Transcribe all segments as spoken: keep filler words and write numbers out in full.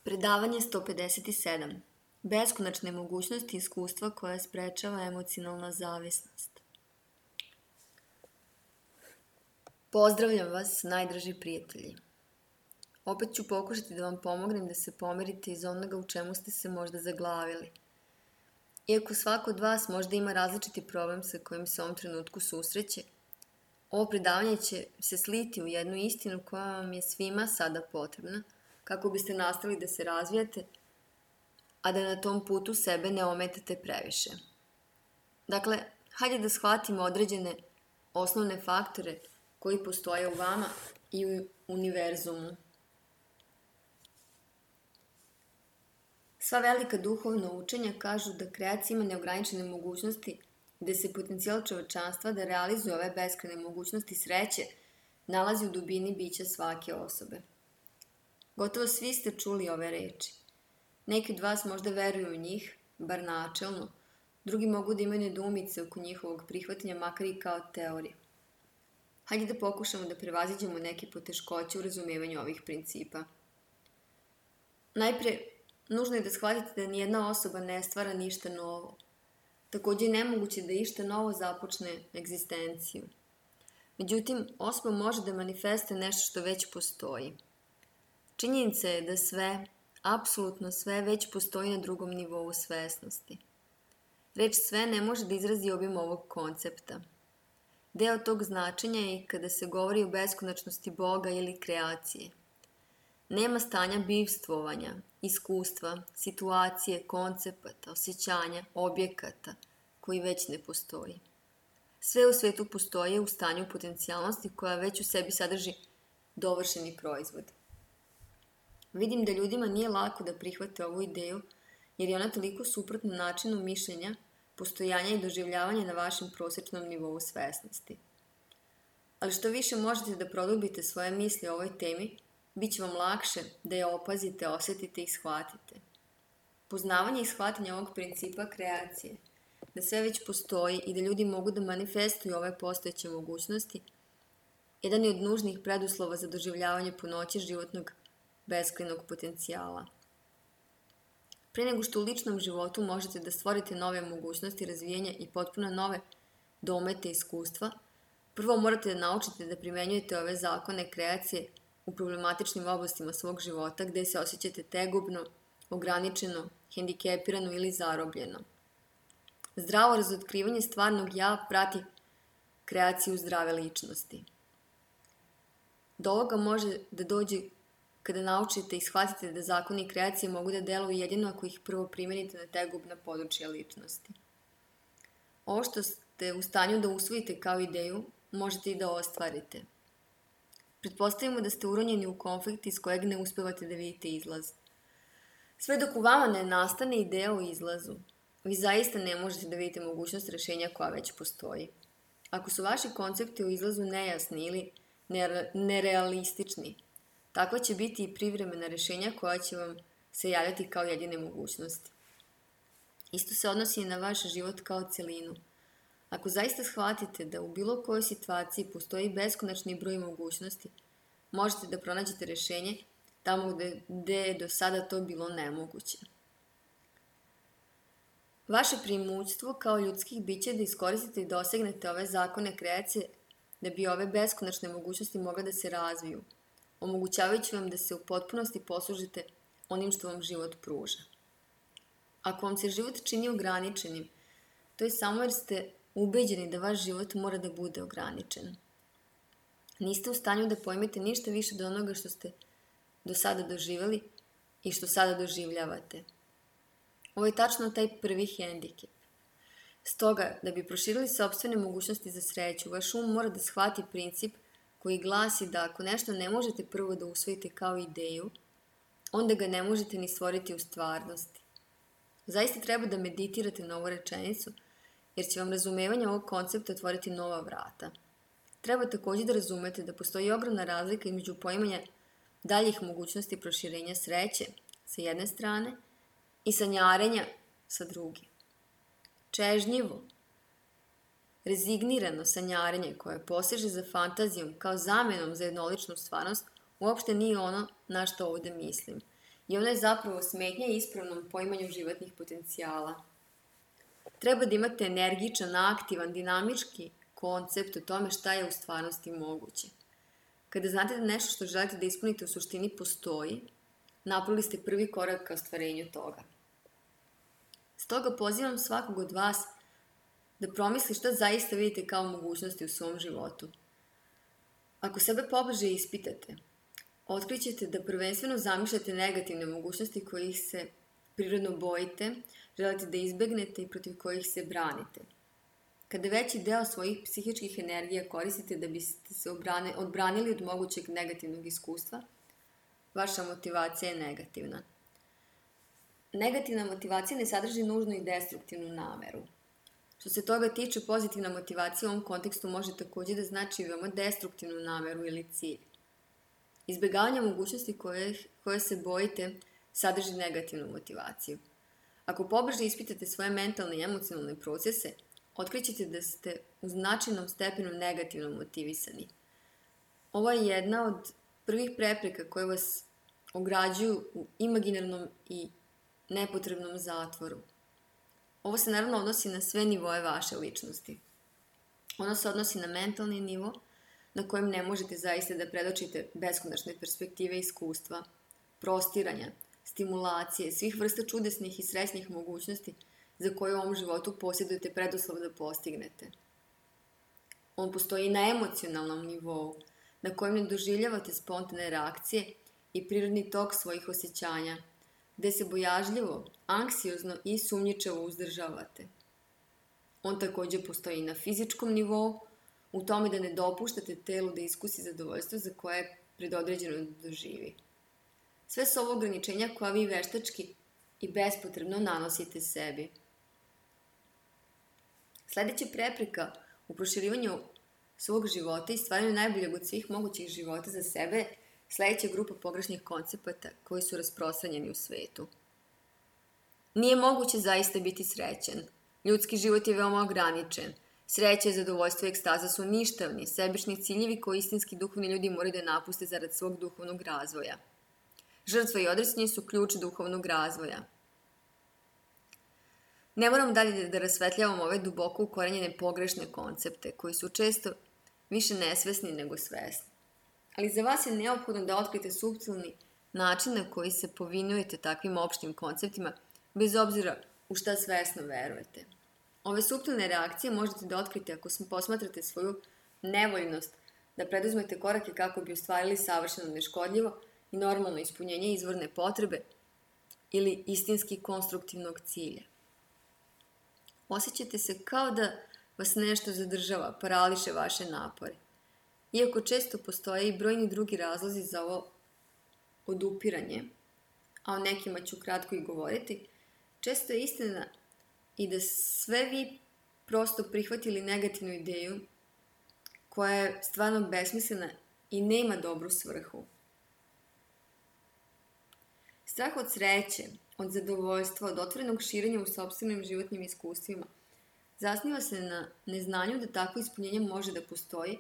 Predavanje sto pedeset sedam. Beskonačne mogućnosti iskustva koja sprečava emocionalna zavisnost. Pozdravljam vas, najdraži prijatelji. Opet ću pokušati da vam pomognem da se pomerite iz onoga u čemu ste se možda zaglavili. Iako svako od vas možda ima različiti problem sa kojim se u ovom trenutku susreće, ovo predavanje će se sliti u jednu istinu koja vam je svima sada potrebna, kako biste nastavili da se razvijate, a da na tom putu sebe ne ometate previše. Dakle, hajde da shvatimo određene osnovne faktore koji postoje u vama i u univerzumu. Sva velika duhovna učenja kažu da kreacija ima neograničene mogućnosti, gde se potencijal čovečanstva da realizuje ove beskrajne mogućnosti sreće nalazi u dubini bića svake osobe. Gotovo svi ste čuli ove reči. Neki od vas možda veruju u njih, bar načelno, drugi mogu da imaju nedoumice oko njihovog prihvatanja, makar i kao teorije. Hajde da pokušamo da prevaziđemo neke poteškoće u razumevanju ovih principa. Najpre, nužno je da shvatite da nijedna osoba ne stvara ništa novo. Takođe je nemoguće da išta novo započne egzistenciju. Međutim, osoba može da manifestuje nešto što već postoji. Činjenica je da sve, apsolutno sve, već postoji na drugom nivou svesnosti. Reč sve ne može da izrazi obim ovog koncepta. Deo tog značenja je i kada se govori o beskonačnosti Boga ili kreacije. Nema stanja bivstvovanja, iskustva, situacije, koncepata, osjećanja, objekata koji već ne postoji. Sve u svetu postoje u stanju potencijalnosti koja već u sebi sadrži dovršeni proizvod. Vidim da ljudima nije lako da prihvate ovu ideju, jer je ona toliko suprotna načinu mišljenja, postojanja i doživljavanja na vašem prosječnom nivou svesnosti. Ali što više možete da produbite svoje misli o ovoj temi, bit će vam lakše da je opazite, osetite i shvatite. Poznavanje i shvatanje ovog principa kreacije, da sve već postoji i da ljudi mogu da manifestuju ove postojeće mogućnosti, jedan je od nužnih preduslova za doživljavanje punoće životnog beskrajnog potencijala. Pre nego što u ličnom životu možete da stvorite nove mogućnosti razvijenja i potpuno nove domete iskustva, prvo morate da naučite da primenjujete ove zakone kreacije u problematičnim oblastima svog života gde se osjećate tegobno, ograničeno, hendikepirano ili zarobljeno. Zdravo razotkrivanje stvarnog ja prati kreaciju zdrave ličnosti. Do ovoga može da dođe kada naučite i shvatite da zakoni kreacije mogu da deluju jedino ako ih prvo primenite na tegobna područja ličnosti. Ovo što ste u stanju da usvojite kao ideju, možete i da ostvarite. Pretpostavimo da ste uronjeni u konflikt iz kojeg ne uspevate da vidite izlaz. Sve dok u vama ne nastane ideja o izlazu, vi zaista ne možete da vidite mogućnost rešenja koja već postoji. Ako su vaši koncepti o izlazu nejasni ili nerealistični, takva će biti i privremena rešenja koja će vam se javljati kao jedine mogućnosti. Isto se odnosi i na vaš život kao celinu. Ako zaista shvatite da u bilo kojoj situaciji postoji beskonačni broj mogućnosti, možete da pronađete rešenje tamo gde, gde je do sada to bilo nemoguće. Vaše primućstvo kao ljudskih bića je da iskoristite i dosegnete ove zakone kreacije da bi ove beskonačne mogućnosti mogle da se razviju, omogućavajući vam da se u potpunosti poslužite onim što vam život pruža. Ako vam se život čini ograničenim, to je samo jer ste ubeđeni da vaš život mora da bude ograničen. Niste u stanju da pojmete ništa više od onoga što ste do sada doživjeli i što sada doživljavate. Ovo je tačno taj prvi hendikep. Stoga, da bi proširili sopstvene mogućnosti za sreću, vaš um mora da shvati princip koji glasi da ako nešto ne možete prvo da usvojite kao ideju, onda ga ne možete ni stvoriti u stvarnosti. Zaista treba da meditirate na ovu rečenicu, jer će vam razumevanje ovog koncepta otvoriti nova vrata. Treba takođe da razumete da postoji ogromna razlika između poimanja daljih mogućnosti proširenja sreće sa jedne strane i sanjarenja sa druge. Čežnjivo, rezignirano sanjarenje koje poseže za fantazijom kao zamenom za jednoličnu stvarnost uopšte nije ono na što ovde mislim. i ona je zapravo smetnja ispravnom poimanju životnih potencijala. Treba da imate energičan, aktivan, dinamički koncept o tome šta je u stvarnosti moguće. Kada znate da nešto što želite da ispunite u suštini postoji, napravili ste prvi korak ka ostvarenju toga. Stoga pozivam svakog od vas da promisli šta zaista vidite kao mogućnosti u svom životu. Ako sebe pobliže ispitate, otkrićete da prvenstveno zamišljate negativne mogućnosti kojih se prirodno bojite, želite da izbegnete i protiv kojih se branite. Kada veći deo svojih psihičkih energija koristite da biste se odbranili od mogućeg negativnog iskustva, vaša motivacija je negativna. Negativna motivacija ne sadrži nužno i destruktivnu nameru. Što se toga tiče, pozitivna motivacija u ovom kontekstu može također da znači veoma destruktivnu nameru ili cilj. Izbjegavanje mogućnosti koje, koje se bojite sadrži negativnu motivaciju. Ako pobliže ispitate svoje mentalne i emocionalne procese, otkrićete da ste u značajnom stepenu negativno motivisani. Ovo je jedna od prvih prepreka koje vas ograđuju u imaginarnom i nepotrebnom zatvoru. Ovo se naravno odnosi na sve nivoe vaše ličnosti. Ono se odnosi na mentalni nivo, na kojem ne možete zaista da predočite beskonačne perspektive iskustva, prostiranja, stimulacije, svih vrsta čudesnih i srećnih mogućnosti za koje u ovom životu posjedujete preduslov da postignete. On postoji na emocionalnom nivou, na kojem ne doživljavate spontane reakcije i prirodni tok svojih osjećanja, gde se bojažljivo, anksiozno i sumnjičavo uzdržavate. On također postoji na fizičkom nivou, u tome da ne dopuštate telu da iskusi zadovoljstvo za koje je predodređeno da doživi. Sve su ovo ograničenja koja vi veštački i bespotrebno nanosite sebi. Sledeća prepreka u proširivanju svog života i stvaranju najboljeg od svih mogućih života za sebe je sledeća grupa pogrešnih koncepata koji su rasprostranjeni u svetu. Nije moguće zaista biti srećan. Ljudski život je veoma ograničen. Sreća, zadovoljstvo i ekstaza su ništavni, sebični ciljevi koji istinski duhovni ljudi moraju da napuste zarad svog duhovnog razvoja. Žrtva i odricanje su ključ duhovnog razvoja. Ne moram dalje da rasvetljavam ove duboko ukorenjene pogrešne koncepte, koji su često više nesvesni nego svesni. Ali za vas je neophodno da otkrite suptilni način na koji se povinujete takvim opštim konceptima, bez obzira u šta svesno verujete. Ove suptilne reakcije možete da otkrite ako posmatrate svoju nevoljnost da preduzmete korake kako bi ostvarili savršeno neškodljivo i normalno ispunjenje izvorne potrebe ili istinski konstruktivnog cilja. Osjećate se kao da vas nešto zadržava, parališe vaše napore. Iako često postoje i brojni drugi razlozi za ovo odupiranje, a o nekima ću kratko i govoriti, često je istina i da sve vi prosto prihvatili negativnu ideju koja je stvarno besmislena i nema dobru svrhu. Strah od sreće, od zadovoljstva, od otvorenog širenja u sopstvenim životnim iskustvima zasniva se na neznanju da takvo ispunjenje može da postoji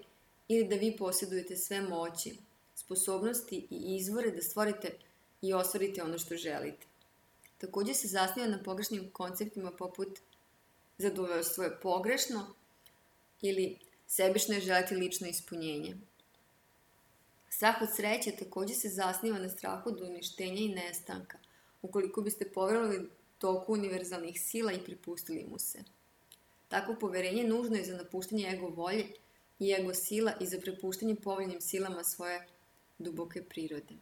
ili da vi posjedujete sve moći, sposobnosti i izvore da stvorite i ostvarite ono što želite. Također se zasniva na pogrešnim konceptima poput zadovoljstvo je pogrešno ili sebično je želiti lično ispunjenje. Strah od sreće također se zasniva na strahu od uništenja i nestanka, ukoliko biste poverovali toku univerzalnih sila i pripustili mu se. Takvo poverenje nužno je za napuštanje ego volje i ego sila i za prepuštanje povoljnim silama svoje duboke prirode.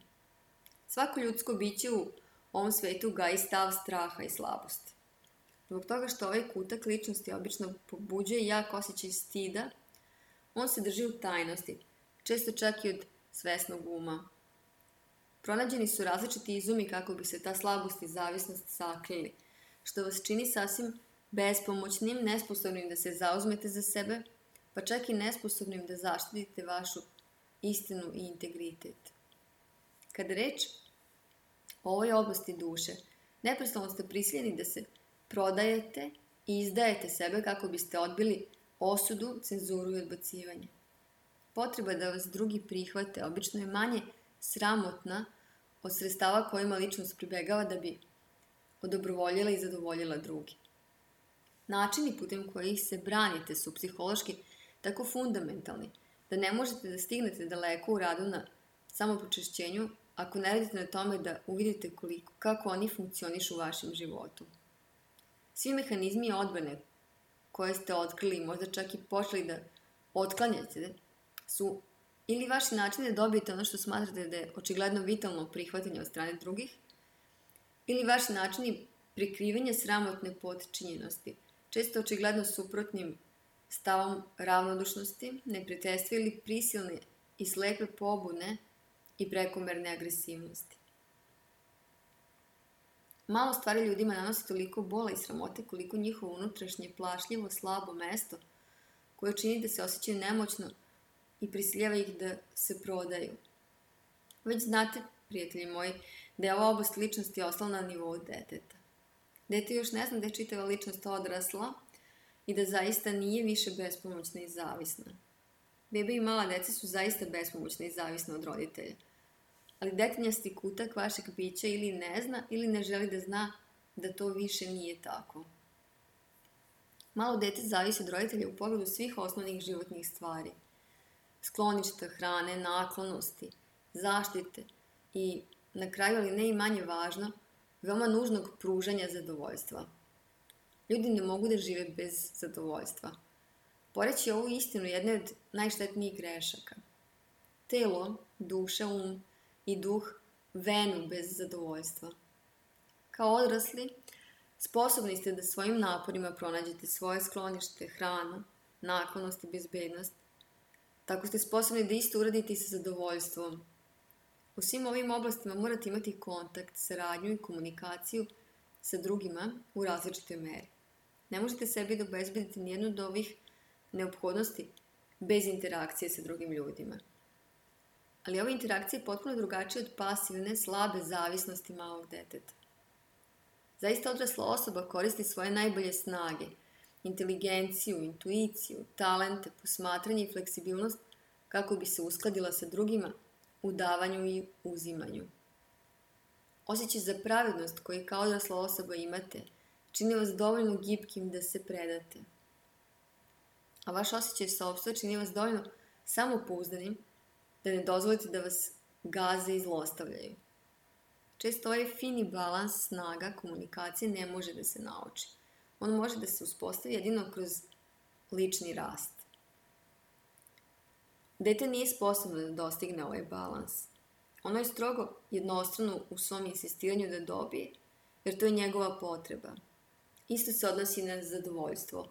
Svako ljudsko biće u ovom svetu gaji stav straha i slabosti. Zbog toga što ovaj kutak ličnosti obično pobuđuje jak osjećaj stida, on se drži u tajnosti, često čak i od svesnog uma. Pronađeni su različiti izumi kako bi se ta slabost i zavisnost sakrili, što vas čini sasvim bespomoćnim, nesposobnim da se zauzmete za sebe, pa čak i nesposobnim da zaštitite vašu istinu i integritet. Kada reč o ovoj oblasti duše, neprestano ste prisiljeni da se prodajete i izdajete sebe kako biste odbili osudu, cenzuru i odbacivanje. Potreba da vas drugi prihvate obično je manje sramotna od sredstava kojima ličnost pribegava da bi odobrovoljila i zadovoljila drugi. Načini putem kojih se branite su psihološki tako fundamentalni da ne možete da stignete daleko u radu na samopočišćenju ako ne radite na tome da uvidite koliko, kako oni funkcionišu u vašem životu. Svi mehanizmi odbrane koje ste otkrili i možda čak i počeli da otklanjate su ili vaši načini da dobijete ono što smatrate da je očigledno vitalno prihvatanje od strane drugih, ili vaši načini prikrivanja sramotne potčinjenosti, često očigledno suprotnim stavom ravnodušnosti, neprijateljstva ili prisilne i slepe pobune i prekomerne agresivnosti. Malo stvari ljudima nanosi toliko bola i sramote koliko njihovo unutrašnje plašljivo, slabo mesto koje čini da se osjećaju nemoćno i prisiljava ih da se prodaju. Već znate, prijatelji moji, da je ova oblast ličnosti ostala na nivou deteta. Dete još ne zna da je čitava ličnost odrasla i da zaista nije više bespomoćna i zavisna. Bebe i mala deca su zaista bespomoćna i zavisna od roditelja. Ali detinjasti kutak vašeg bića ili ne zna ili ne želi da zna da to više nije tako. Malo dete zavisi od roditelja u pogledu svih osnovnih životnih stvari. Skloništa, hrane, naklonosti, zaštite i, na kraju, ali ne i manje važno, veoma nužnog pružanja zadovoljstva. Ljudi ne mogu da žive bez zadovoljstva. Poreći ovu istinu jedne od najštetnijih grešaka. Telo, duša, um i duh venu bez zadovoljstva. Kao odrasli, sposobni ste da svojim naporima pronađete svoje sklonište, hranu, naklonost i bezbednost. Tako ste sposobni da isto uradite i sa zadovoljstvom. U svim ovim oblastima morate imati kontakt, saradnju i komunikaciju sa drugima u različitoj meri. Ne možete sebi da obezbedite nijednu od ovih neophodnosti bez interakcije sa drugim ljudima. Ali ova interakcija je potpuno drugačija od pasivne, slabe zavisnosti malog deteta. Zaista odrasla osoba koristi svoje najbolje snage, inteligenciju, intuiciju, talente, posmatranje i fleksibilnost kako bi se uskladila sa drugima u davanju i uzimanju. Osjećaj za pravednost koji kao odrasla osoba imate čini vas dovoljno gibkim da se predate. A vaš osjećaj sopstva čini vas dovoljno samopouzdanim da ne dozvolite da vas gaze i zlostavljaju. Često ovaj fini balans snaga komunikacije ne može da se nauči. On može da se uspostavi jedino kroz lični rast. Dete nije sposobno da dostigne ovaj balans. Ono je strogo jednostrano u svom insistiranju da dobije, jer to je njegova potreba. Isto se odnosi na zadovoljstvo.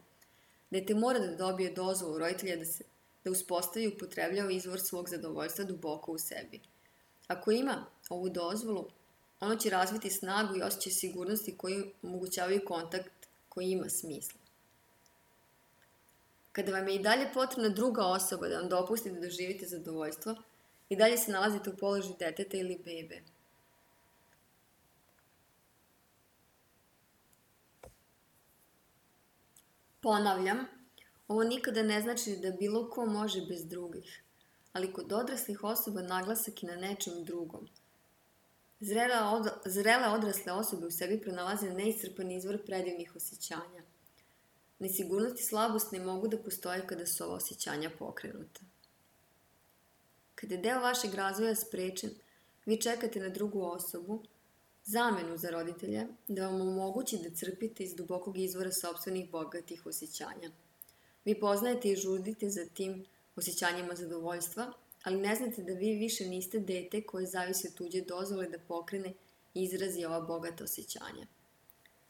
Dete mora da dobije dozvolu roditelja da se da uspostavi i upotrebljava izvor svog zadovoljstva duboko u sebi. Ako ima ovu dozvolu, ono će razviti snagu i osjećaj sigurnosti koji omogućavaju kontakt koji ima smisla. Kada vam je i dalje potrebna druga osoba da vam dopusti da doživite zadovoljstvo, i dalje se nalazite u položaju deteta ili bebe. Ponavljam, ovo nikada ne znači da bilo ko može bez drugih, ali kod odraslih osoba naglasak je na nečem drugom. Zrele, od, zrele odrasle osobe u sebi pronalaze neiscrpan izvor predivnih osjećanja. Nesigurnost i slabost ne mogu da postoje kada su ova osjećanja pokrenuta. Kada je deo vašeg razvoja sprečen, vi čekate na drugu osobu, zamenu za roditelja, da vam omogući da crpite iz dubokog izvora sopstvenih bogatih osjećanja. Vi poznajete i žudite za tim osjećanjima zadovoljstva, ali ne znate da vi više niste dete koje zavisi od tuđe dozvole da pokrene i izrazi ova bogata osjećanja.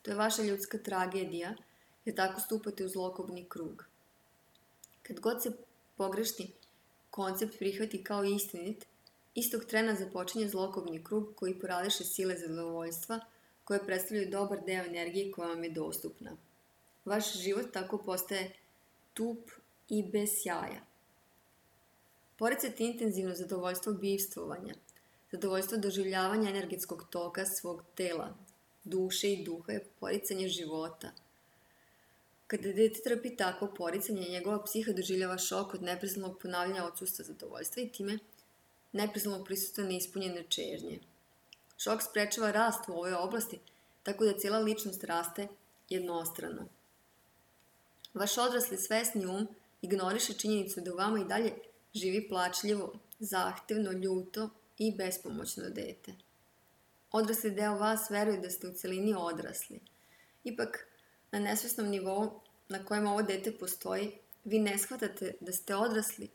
To je vaša ljudska tragedija, jer tako stupate u zlokobni krug. Kad god se pogrešni koncept prihvati kao istinit, istog trena započinje zlokobni krug koji poradiše sile zadovoljstva koje predstavljaju dobar deo energije koja vam je dostupna. Vaš život tako postaje tup i bez sjaja. Poricajte intenzivno zadovoljstvo bivstvovanja, zadovoljstvo doživljavanja energetskog toka svog tela, duše i duha je poricanje života. Kada dete trpi takvo poricanje, njegova psiha doživljava šok od neprestanog ponavljanja odsustva zadovoljstva i time neprestanog prisustva neispunjene čežnje. Šok sprečava rast u ovoj oblasti, tako da cijela ličnost raste jednostrano. Vaš odrasli svesni um ignoriše činjenicu da u vama i dalje živi plačljivo, zahtevno, ljuto i bespomoćno dete. Odrasli deo vas veruje da ste u celini odrasli. Ipak, na nesvesnom nivou na kojem ovo dete postoji, vi ne shvatate da ste odrasli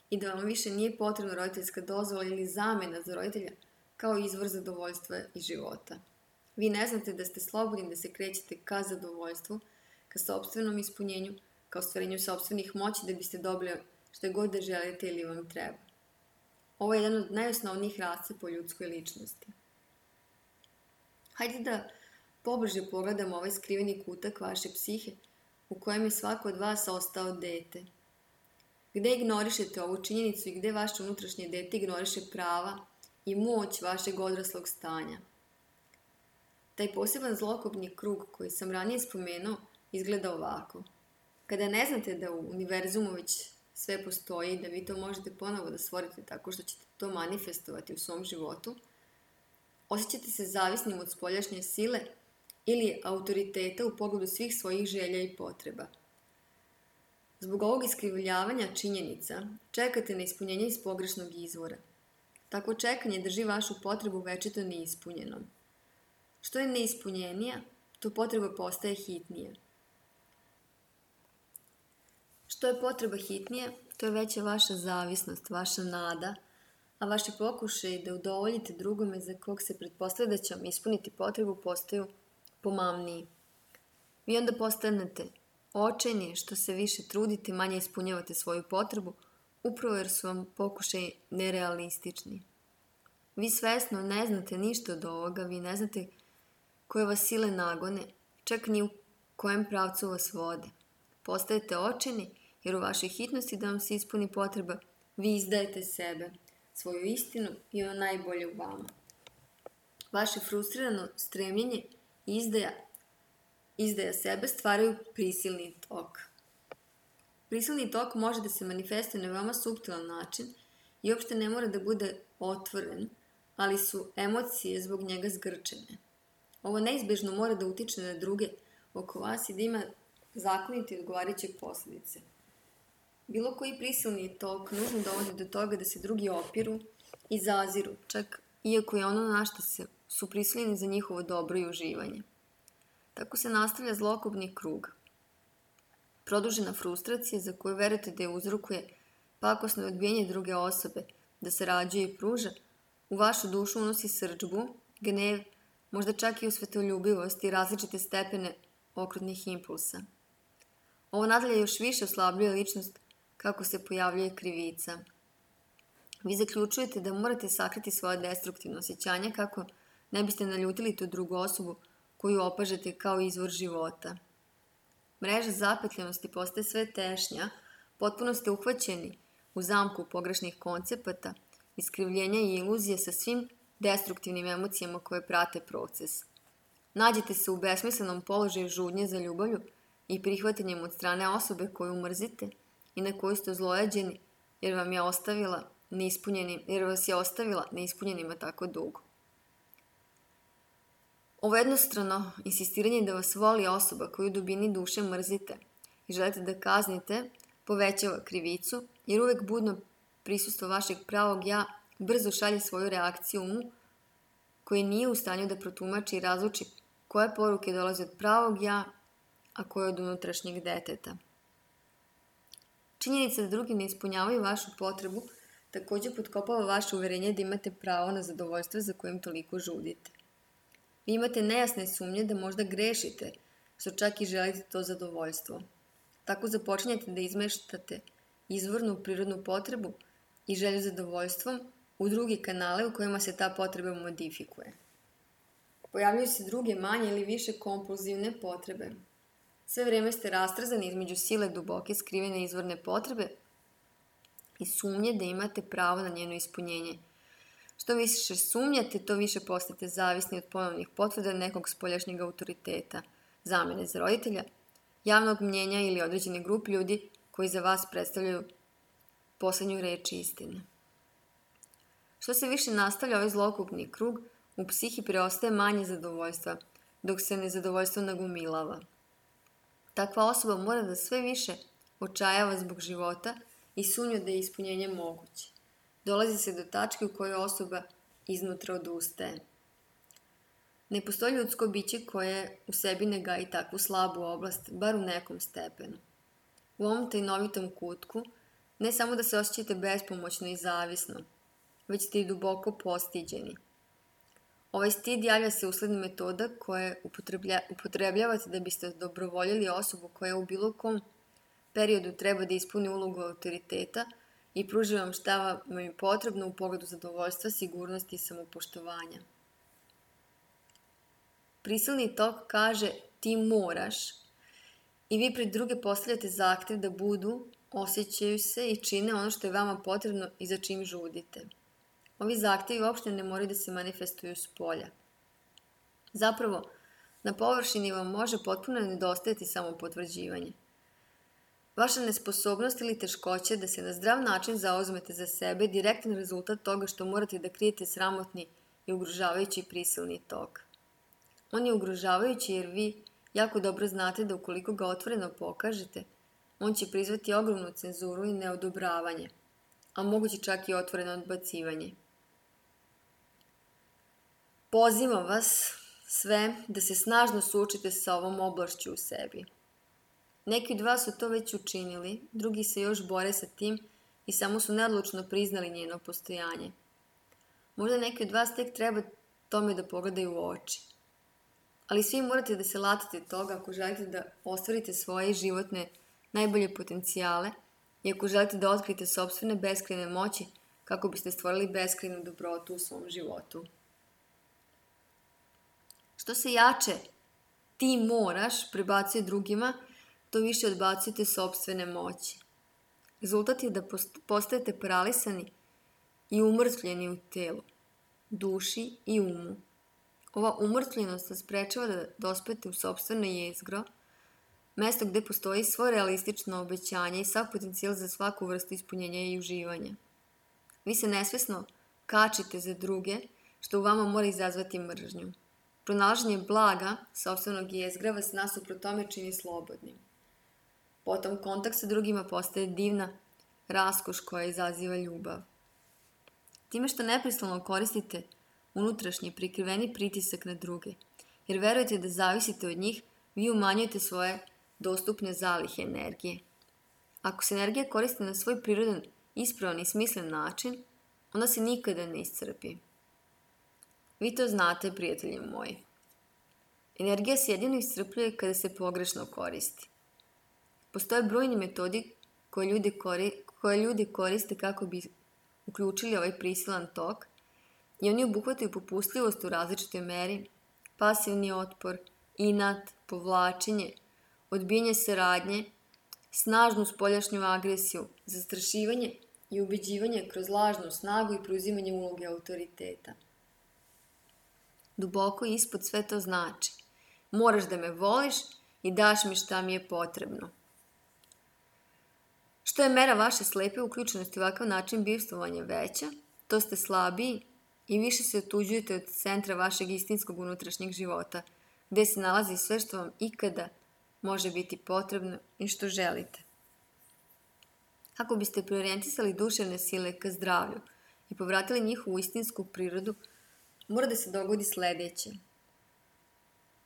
i da vam više nije potrebna roditeljska dozvola ili zamena za roditelja kao izvor zadovoljstva i života. Vi ne znate da ste slobodni da se krećete ka zadovoljstvu, ka sopstvenom ispunjenju, ka ostvarenju sopstvenih moći da biste dobili što god da želite ili vam treba. Ovo je jedan od najosnovnijih rasca po ljudskoj ličnosti. Hajde da pobliže pogledamo ovaj skriveni kutak vaše psihe u kojem je svako od vas ostao dete. Gde ignorišete ovu činjenicu i gde vaše unutrašnje dete ignoriše prava i moć vašeg odraslog stanja. Taj poseban zlokobni krug koji sam ranije spomenuo izgleda ovako. Kada ne znate da u univerzumu već sve postoji i da vi to možete ponovo da stvorite tako što ćete to manifestovati u svom životu, osjećate se zavisnim od spoljašnje sile ili autoriteta u pogledu svih svojih želja i potreba. Zbog ovog iskrivljavanja činjenica čekate na ispunjenje iz pogrešnog izvora. Tako čekanje drži vašu potrebu večito neispunjenom. Što je neispunjenija, to potreba postaje hitnija. Što je potreba hitnija, to je veća vaša zavisnost, vaša nada, a vaši pokušaji da udovoljite drugome za kog se pretpostavlja da će vam ispuniti potrebu postaju pomamniji. Vi onda postanete očajni što se više trudite, manje ispunjavate svoju potrebu, upravo jer su vam pokušaji nerealistični. Vi svesno ne znate ništa od ovoga, vi ne znate koje vas sile nagone, čak ni u kojem pravcu vas vode. Postajete očajni jer u vašoj hitnosti da vam se ispuni potreba, vi izdajete sebe, svoju istinu i ono najbolje u vama. Vaše frustrirano stremljenje i izdaja, izdaja sebe stvaraju prisilni tok. Prisilni tok može da se manifestuje na veoma suptilan način i uopšte ne mora da bude otvoren, ali su emocije zbog njega zgrčene. Ovo neizbežno mora da utiče na druge oko vas i da ima zakonite i odgovarajuće posljedice. Bilo koji prisilni tok nužno dovodi do toga da se drugi opiru i zaziru, čak iako je ono na što se su prisiljeni za njihovo dobro i uživanje. Tako se nastavlja zlokobni krug. Produžena frustracija za koju verujete da je uzrokuje pakosno odbijanje druge osobe, da se rađuje i pruža, u vašu dušu unosi srdžbu, gnev, možda čak i osvetoljubivost i različite stepene okrutnih impulsa. Ovo nadalje još više oslabljuje ličnost kako se pojavljuje krivica. Vi zaključujete da morate sakriti svoje destruktivno osjećanje kako ne biste naljutili tu drugu osobu koju opažete kao izvor života. Mreža zapetljenosti postaje sve tešnja, potpuno ste uhvaćeni u zamku pogrešnih koncepata, iskrivljenja i iluzije sa svim destruktivnim emocijama koje prate proces. Nađete se u besmislenom položaju žudnje za ljubavlju i prihvatanjem od strane osobe koju mrzite i na koju ste zlojađeni jer vam je ostavila neispunjenim, jer vas je ostavila neispunjenima tako dugo. Ovo jednostrano insistiranje da vas voli osoba koju u dubini duše mrzite i želite da kaznite povećava krivicu jer uvek budno prisustvo vašeg pravog ja brzo šalje svoju reakciju umu koji nije u stanju da protumači i razluči koje poruke dolaze od pravog ja, a koje od unutrašnjeg deteta. Činjenica da drugi ne ispunjavaju vašu potrebu također potkopava vaše uverenje da imate pravo na zadovoljstvo za kojim toliko žudite. Vi imate nejasne sumnje da možda grešite, što čak i želite to zadovoljstvo. Tako započinjete da izmeštate izvornu prirodnu potrebu i želju zadovoljstvom u drugi kanale u kojima se ta potreba modifikuje. Pojavljuju se druge manje ili više kompulzivne potrebe. Sve vrijeme ste rastrzani između sile duboke skrivene izvorne potrebe i sumnje da imate pravo na njeno ispunjenje. Što više sumnjate, to više postate zavisni od ponovnih potvrda nekog spoljašnjeg autoriteta, zamene za roditelja, javnog mnjenja ili određene grupe ljudi koji za vas predstavljaju poslednju reč istine. Što se više nastavlja ovaj zlokupni krug, u psihi preostaje manje zadovoljstva, dok se nezadovoljstvo nagomilava. Takva osoba mora da sve više očajava zbog života i sumnja da je ispunjenje moguće. Dolazi se do tačke u kojoj osoba iznutra odustaje. Ne postoji ljudsko biće koje u sebi ne gaji takvu slabu oblast, bar u nekom stepenu. U ovom tajnovitom kutku ne samo da se osjećate bespomoćno i zavisno, već ste i duboko postiđeni. Ovaj stid javlja se usled metoda koje upotrebljavate da biste dobrovoljili osobu koja u bilo kom periodu treba da ispuni ulogu autoriteta i pruži vam šta vam je potrebno u pogledu zadovoljstva, sigurnosti i samopoštovanja. Prisilni tok kaže ti moraš i vi pred druge postavljate zahtev da budu, osjećaju se i čine ono što je vama potrebno i za čim žudite. Ovi zahtevi uopšte ne moraju da se manifestuju s polja. Zapravo, na površini vam može potpuno nedostajati samopotvrđivanje. Vaša nesposobnost ili teškoća da se na zdrav način zauzmete za sebe je direktan rezultat toga što morate da krijete sramotni i ugrožavajući prisilni tok. On je ugrožavajući jer vi jako dobro znate da ukoliko ga otvoreno pokažete, on će prizvati ogromnu cenzuru i neodobravanje, a moguće čak i otvoreno odbacivanje. Pozivam vas sve da se snažno suočite sa ovom oblašću u sebi. Neki od vas su to već učinili, drugi se još bore sa tim i samo su neodlučno priznali njeno postojanje. Možda neki od vas tek treba tome da pogledaju u oči. Ali svi morate da se latite toga ako želite da ostvarite svoje životne najbolje potencijale i ako želite da otkrijete sopstvene beskrajne moći kako biste stvorili beskrajnu dobrotu u svom životu. Što se jače ti moraš prebacuje drugima, to više odbacujete sopstvene moći. Rezultat je da postajete paralisani i umrtvljeni u telu, duši i umu. Ova umrtvljenost vas sprečava da dospete u sopstveno jezgro, mesto gde postoji svo realistično obećanje i sav potencijal za svaku vrstu ispunjenja i uživanja. Vi se nesvesno kačite za druge, što u vama mora izazvati mržnju. Pronalaženje blaga sopstvenog jezgra vas nasuprot tome čini slobodnim. Potom kontakt sa drugima postaje divna raskoš koja izaziva ljubav. Time što neprestano koristite unutrašnji prikriveni pritisak na druge, jer verujete da zavisite od njih, vi umanjujete svoje dostupne zalihe energije. Ako se energija koristi na svoj prirodan, ispravan i smislen način, ona se nikada ne iscrpi. Vi to znate, prijatelji moji. Energija se jedino iscrpljuje kada se pogrešno koristi. Postoje brojni metodi koje ljudi, kori, koje ljudi koriste kako bi uključili ovaj prisilan tok i oni obuhvataju popustljivost u različitoj meri, pasivni otpor, inat, povlačenje, odbijanje saradnje, snažnu spoljašnju agresiju, zastrašivanje i ubeđivanje kroz lažnu snagu i preuzimanje uloge autoriteta. Duboko ispod sve to znači: moraš da me voliš i daš mi šta mi je potrebno. Što je mera vaše slepe uključenosti u ovakav način bivstvovanja veća, to ste slabiji i više se otuđujete od centra vašeg istinskog unutrašnjeg života, gde se nalazi sve što vam ikada može biti potrebno i što želite. Kako biste preorijentisali duševne sile ka zdravlju i povratili njihovu istinsku prirodu, mora da se dogodi sledeće.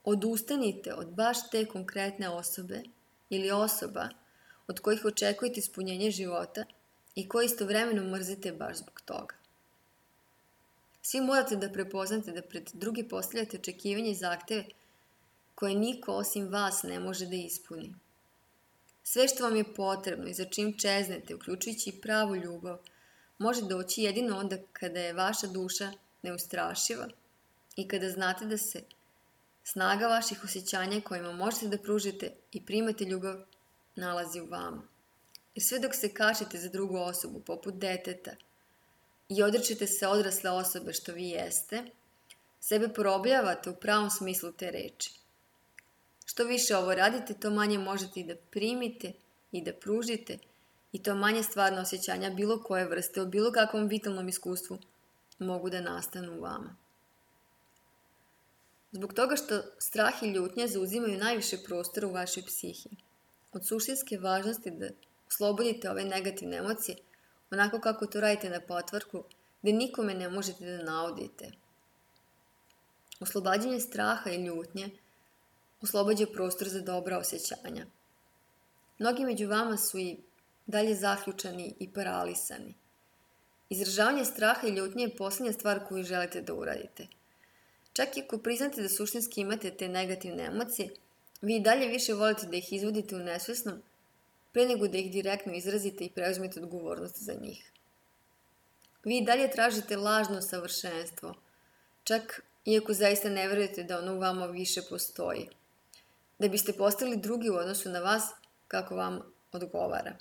Odustanite od baš te konkretne osobe ili osoba od kojih očekujete ispunjenje života i koje istovremeno mrzite baš zbog toga. Svi morate da prepoznate da pred drugi postavljate očekivanje i zahteve koje niko osim vas ne može da ispuni. Sve što vam je potrebno i za čim čeznete, uključujući i pravu ljubav, može doći jedino onda kada je vaša duša neustrašiva i kada znate da se snaga vaših osjećanja kojima možete da pružite i primate ljubav nalazi u vama. Jer sve dok se kačite za drugu osobu, poput deteta, i odričete se odrasle osobe što vi jeste, sebe porobljavate u pravom smislu te reči. Što više ovo radite, to manje možete i da primite i da pružite i to manje stvarno osjećanja bilo koje vrste o bilo kakvom vitalnom iskustvu mogu da nastanu u vama. Zbog toga što strah i ljutnja zauzimaju najviše prostora u vašoj psihi. Od suštinske važnosti da oslobodite ove negativne emocije onako kako to radite na potvrku, gde nikome ne možete da naudite. Oslobađanje straha i ljutnje oslobađa prostor za dobra osjećanja. Mnogi među vama su i dalje zaključani i paralisani. Izražavanje straha i ljutnje je posljednja stvar koju želite da uradite. Čak i ako priznate da suštinski imate te negativne emocije, vi i dalje više volite da ih izvodite u nesvesnom, pre nego da ih direktno izrazite i preuzmete odgovornost za njih. Vi i dalje tražite lažno savršenstvo, čak iako zaista ne verujete da ono u vama više postoji, da biste postali drugi u odnosu na vas kako vam odgovara.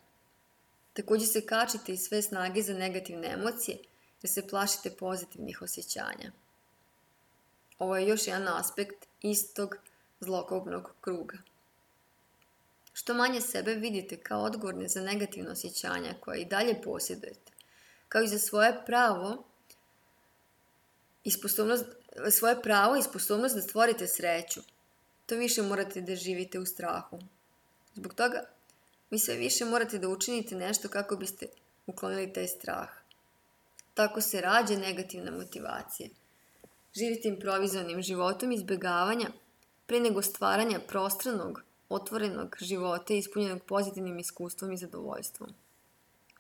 Također se kačite iz sve snage za negativne emocije, jer se plašite pozitivnih osjećanja. Ovo je još jedan aspekt istog zlokobnog kruga. Što manje sebe vidite kao odgovorne za negativne osjećanja koje i dalje posjedujete, kao i za svoje pravo i sposobnost, svoje pravo i sposobnost da stvorite sreću, to više morate da živite u strahu. Zbog toga, vi sve više morate da učinite nešto kako biste uklonili taj strah. Tako se rađa negativna motivacija. Živite improvizovanim životom izbjegavanja pre nego stvaranja prostranog, otvorenog života ispunjenog pozitivnim iskustvom i zadovoljstvom.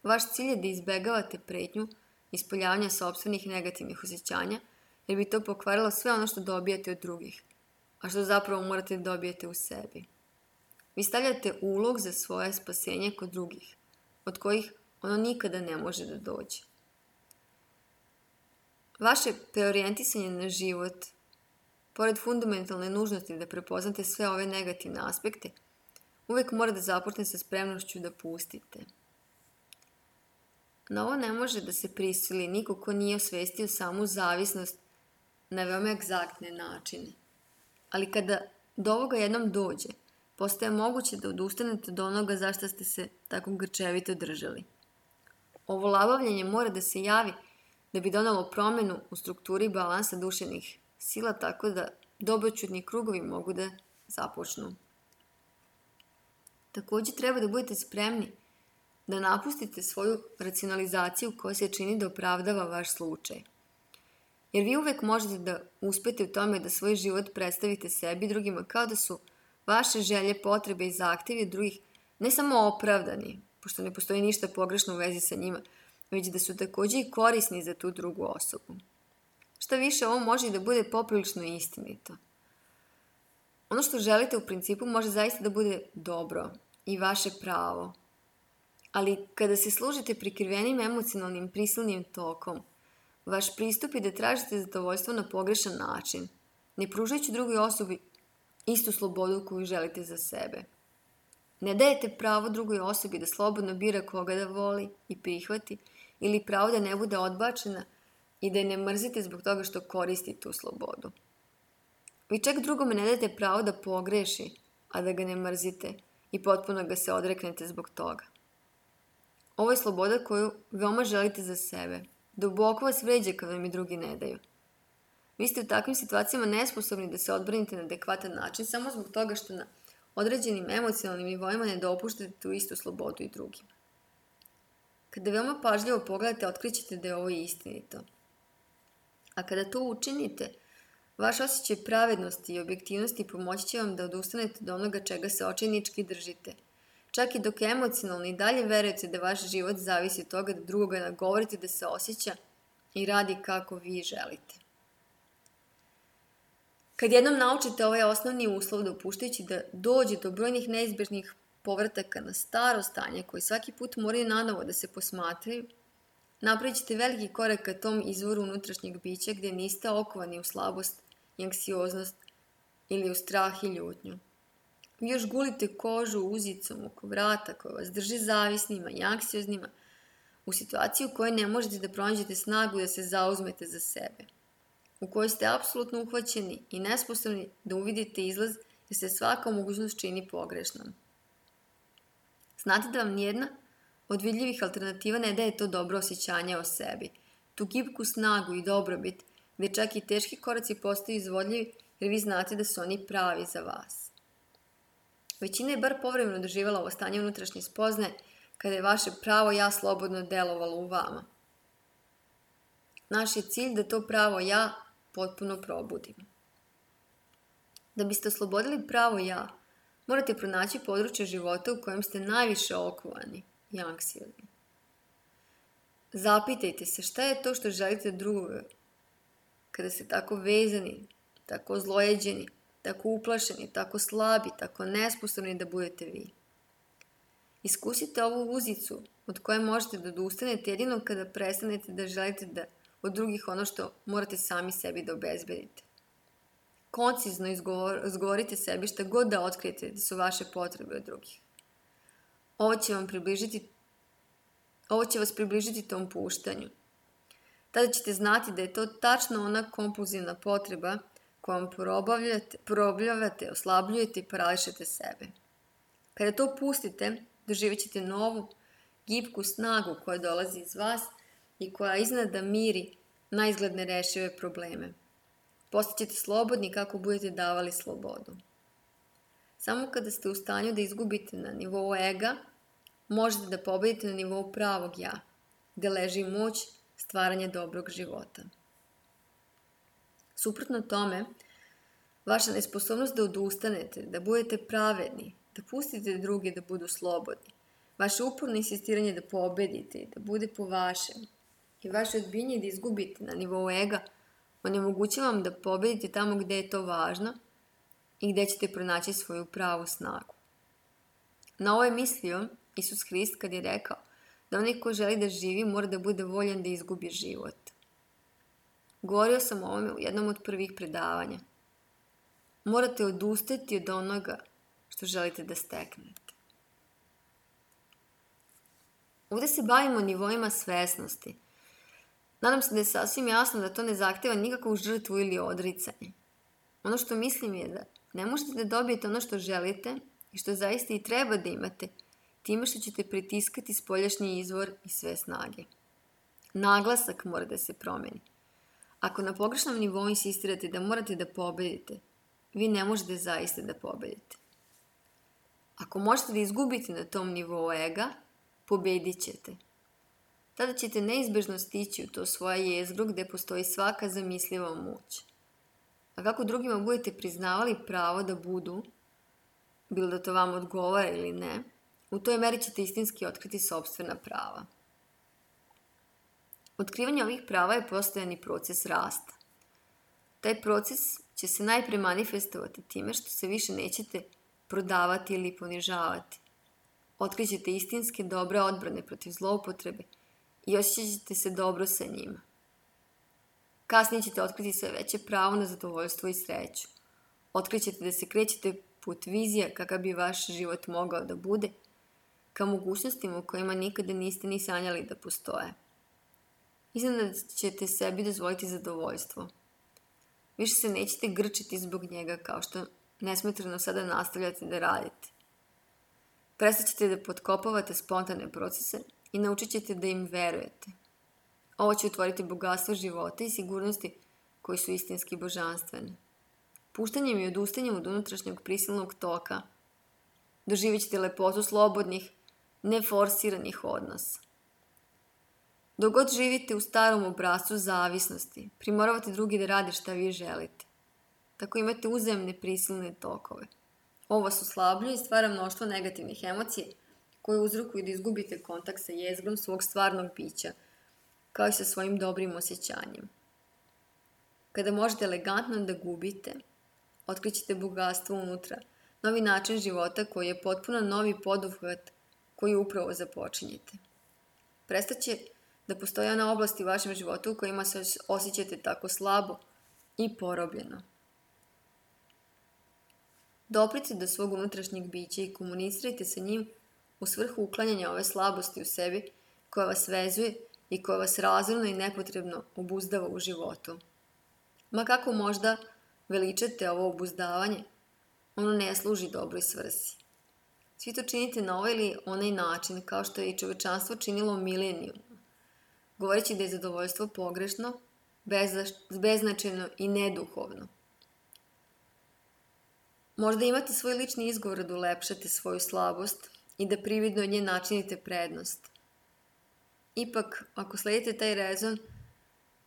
Vaš cilj je da izbjegavate pretnju ispoljavanja sopstvenih negativnih osjećanja, jer bi to pokvarilo sve ono što dobijate od drugih, a što zapravo morate da dobijete u sebi. Vi stavljate ulog za svoje spasenje kod drugih, od kojih ono nikada ne može da dođe. Vaše preorijentisanje na život, pored fundamentalne nužnosti da prepoznate sve ove negativne aspekte, uvek mora da započne sa spremnošću da pustite. Na ovo ne može da se prisili niko ko nije osvestio samu zavisnost na veoma egzaktne načine. Ali kada do ovoga jednom dođe, postaje moguće da odustanete od onoga zašto ste se tako grčevito držali. Ovo labavljanje mora da se javi da bi donalo promenu u strukturi balansa duševnih sila tako da dobroćudni krugovi mogu da započnu. Također treba da budete spremni da napustite svoju racionalizaciju koja se čini da opravdava vaš slučaj. Jer vi uvek možete da uspete u tome da svoj život predstavite sebi i drugima kao da su vaše želje, potrebe i zahtjevi drugih ne samo opravdani, pošto ne postoji ništa pogrešno u vezi sa njima, već da su također i korisni za tu drugu osobu. Šta više, ovo može i da bude poprilično istinito. Ono što želite u principu može zaista da bude dobro i vaše pravo. Ali kada se služite prikrivenim emocionalnim prisilnim tokom, vaš pristup je da tražite zadovoljstvo na pogrešan način, ne pružajući drugoj osobi istu slobodu koju želite za sebe. Ne dajete pravo drugoj osobi da slobodno bira koga da voli i prihvati, ili pravo da ne bude odbačena i da je ne mrzite zbog toga što koristi tu slobodu. Vi čak drugome ne dajete pravo da pogreši, a da ga ne mrzite i potpuno ga se odreknete zbog toga. Ovo je sloboda koju veoma želite za sebe. Duboko vas vređa kad vam i drugi ne daju. Vi ste u takvim situacijama nesposobni da se odbranite na adekvatan način samo zbog toga što na određenim emocionalnim nivoima ne dopuštate tu istu slobodu i drugima. Kada veoma pažljivo pogledate, otkrićete da je ovo istinito. A kada to učinite, vaš osjećaj pravednosti i objektivnosti pomoći će vam da odustanete od onoga čega se očajnički držite. Čak i dok emocionalno i dalje verujete da vaš život zavisi od toga da drugoga nagovorite da se osjeća i radi kako vi želite. Kad jednom naučite ovaj osnovni uslov dopuštajući da dođe do brojnih neizbježnih povrataka na staro stanje koji svaki put moraju nanovo da se posmatraju, napravit ćete veliki korak ka tom izvoru unutrašnjeg bića gdje niste okovani u slabost i anksioznost ili u strah i ljutnju. Vi još gulite kožu uzicom oko vrata koja vas drži zavisnima i anksioznima u situaciju u kojoj ne možete da pronađete snagu da se zauzmete za sebe, u kojoj ste apsolutno uhvaćeni i nesposobni da uvidite izlaz jer se svaka mogućnost čini pogrešnom. Znate da vam nijedna od vidljivih alternativa ne daje to dobro osjećanje o sebi, tu gibku snagu i dobrobit, gdje čak i teški koraci postaju izvodljivi jer vi znate da su oni pravi za vas. Većina je bar povremeno doživjela ovo stanje unutrašnje spoznaje kada je vaše pravo ja slobodno delovalo u vama. Naš je cilj da to pravo ja potpuno probudimo. Da biste oslobodili pravo ja, morate pronaći područje života u kojem ste najviše okovani i anksiozni. Zapitajte se šta je to što želite drugoga kada ste tako vezani, tako zlojeđeni, tako uplašeni, tako slabi, tako nesposobni da budete vi. Iskusite ovu uzicu od koje možete da odustanete jedino kada prestanete da želite da od drugih ono što morate sami sebi da obezbedite. Koncizno izgovorite sebi šta god da otkrijete da su vaše potrebe od drugih. Ovo će vam približiti, ovo će vas približiti tom puštanju. Tada ćete znati da je to tačno ona kompulzivna potreba kojom porobljavate, oslabljujete i parališete sebe. Kada to pustite, doživjet ćete novu, gibku snagu koja dolazi iz vas i koja iznada miri na izgled nerešive probleme. Postaćete slobodni kako budete davali slobodu. Samo kada ste u stanju da izgubite na nivou ega, možete da pobedite na nivou pravog ja, gde leži moć stvaranja dobrog života. Suprotno tome, vaša nesposobnost da odustanete, da budete pravedni, da pustite druge da budu slobodni, vaše uporno insistiranje da pobedite i da bude po vašem i vaše odbijanje da izgubite na nivou ega, onemogućava vam da pobedite tamo gde je to važno i gde ćete pronaći svoju pravu snagu. Na ovo je mislio Isus Hrist kad je rekao da onaj ko želi da živi mora da bude voljan da izgubi život. Govorio sam o ovome u jednom od prvih predavanja. Morate odustati od onoga što želite da steknete. Ovdje se bavimo nivoima svesnosti. Nadam se da je sasvim jasno da to ne zahteva nikakvu žrtvu ili odricanje. Ono što mislim je da ne možete da dobijete ono što želite i što zaista i treba da imate time što ćete pritiskati spoljašnji izvor i sve snage. Naglasak mora da se promeni. Ako na pogrešnom nivou insistirate da morate da pobedite, vi ne možete zaista da pobedite. Ako možete da izgubite na tom nivou ega, pobedit ćete. Tada ćete neizbežno stići u to svoje jezgro gde postoji svaka zamisliva moć. A kako drugima budete priznavali pravo da budu, bilo da to vam odgovara ili ne, u toj meri ćete istinski otkriti sopstvena prava. Otkrivanje ovih prava je postojani proces rasta. Taj proces će se najpre manifestovati time što se više nećete prodavati ili ponižavati. Otkrićete istinske dobre odbrane protiv zloupotrebe i osjećat ćete se dobro sa njima. Kasnije ćete otkriti sve veće pravo na zadovoljstvo i sreću. Otkrićete da se krećete put vizija kakav bi vaš život mogao da bude, ka mogućnostima u kojima nikada niste ni sanjali da postoje. Iznenada ćete sebi dozvoliti zadovoljstvo. Više se nećete grčiti zbog njega kao što nesmetrano sada nastavljate da radite. Prestat ćete da potkopavate spontane procese i naučit ćete da im verujete. Ovo će otvoriti bogatstvo života i sigurnosti koji su istinski božanstvene. Puštanjem i odustanjem od unutrašnjeg prisilnog toka doživjet ćete lepotu slobodnih, neforsiranih odnosa. Dok god živite u starom obrascu zavisnosti, primoravate drugi da rade šta vi želite. Tako imate uzajamne prisilne tokove. Ovo vas oslabljuje i stvara mnoštvo negativnih emocija koje uzrokuju da izgubite kontakt sa jezgrom svog stvarnog bića, kao i sa svojim dobrim osjećanjem. Kada možete elegantno da gubite, otkrićete bogatstvo unutra, novi način života koji je potpuno novi poduhvat koji upravo započinjete. Prestaće da postoje ona oblasti u vašem životu u kojima se osjećate tako slabo i porobljeno. Doprite do svog unutrašnjeg bića i komunicirajte sa njim u svrhu uklanjanja ove slabosti u sebi koja vas vezuje i koja vas razorno i nepotrebno obuzdava u životu. Ma kako možda veličate ovo obuzdavanje, ono ne služi dobroj svrsi. Svi to činite na ovaj ili onaj način, kao što je i čovečanstvo činilo milenijumima, govoreći da je zadovoljstvo pogrešno, beznačajno i neduhovno. Možda imate svoj lični izgovor da ulepšate svoju slabost i da prividno od nje načinite prednost. Ipak, ako sledite taj rezon,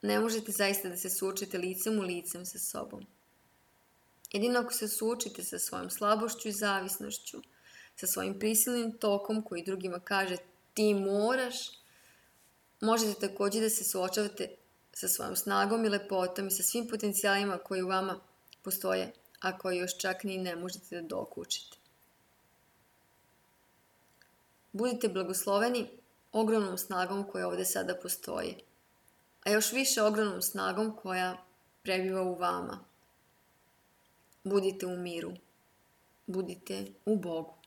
ne možete zaista da se suočite licem u licem sa sobom. Jedino ako se suočite sa svojom slabošću i zavisnošću, sa svojim prisilnim tokom koji drugima kaže ti moraš, možete također da se suočavate sa svojom snagom i lepotom i sa svim potencijalima koji u vama postoje, a koji još čak ni ne možete da dokučite. Budite blagosloveni ogromnom snagom koja ovde sada postoji, a još više ogromnom snagom koja prebiva u vama. Budite u miru. Budite u Bogu.